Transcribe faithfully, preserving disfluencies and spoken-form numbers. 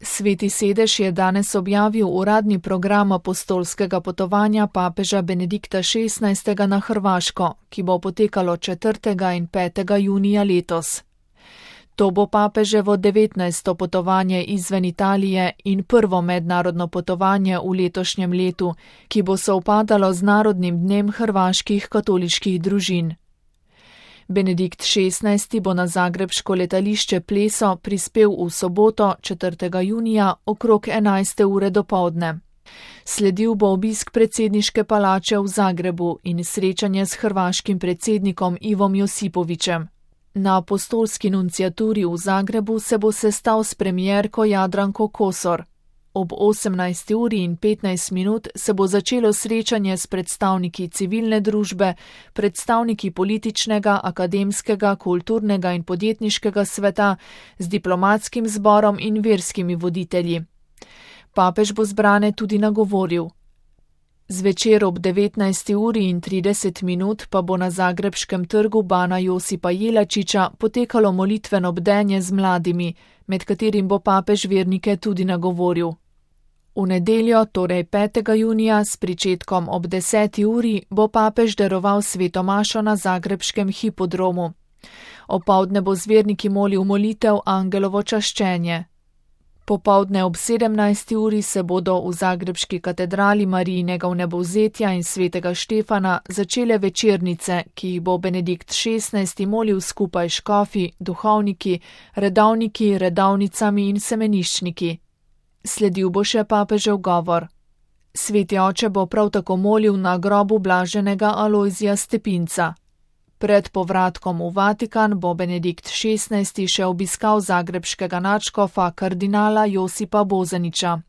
Sveti sedež je danes objavil uradni program apostolskega potovanja papeža Benedikta šestnajstega na Hrvaško, ki bo potekalo četrtega in petega junija letos. To bo papeževo devetnajsto potovanje izven Italije in prvo mednarodno potovanje v letošnjem letu, ki bo sovpadalo z Narodnim dnem hrvaških katoliških družin. Benedikt šestnajsti bo na zagrebško letališče Pleso prispel v soboto, četrtega junija, okrog enajste ure dopoldne. Sledil bo obisk predsedniške palače v Zagrebu in srečanje s hrvaškim predsednikom Ivom Josipovićem. Na apostolski nunciaturi v Zagrebu se bo sestal s premierko Jadranko Kosor. Ob osemnajsti uri in petnajst minut se bo začelo srečanje s predstavniki civilne družbe, predstavniki političnega, akademskega, kulturnega in podjetniškega sveta, z diplomatskim zborom in verskimi voditelji. Papež bo zbrane tudi nagovoril. Zvečer ob devetnajsti uri in trideset minut pa bo na zagrebškem trgu Bana Josipa Jelačića potekalo molitveno bdenje z mladimi, med katerim bo papež vernike tudi nagovoril. V nedeljo, torej petega junija, s pričetkom ob deseti uri, bo papež daroval sveto mašo na zagrebškem hipodromu. Opoldne bo z verniki molil molitev Angelovo čaščenje. Popoldne ob sedemnajsti uri se bodo v zagrebški katedrali Marijinega vnebovzetja in svetega Štefana začele večernice, ki jih bo Benedikt šestnajsti molil skupaj s škofi, duhovniki, redovniki, redovnicami in semeniščniki. Sledil bo še papežev govor. Sveti oče bo prav tako molil na grobu blaženega Alojzija Stepinca. Pred povratkom v Vatikan bo Benedikt šestnajsti še obiskal zagrebškega nadškofa kardinala Josipa Bozanića.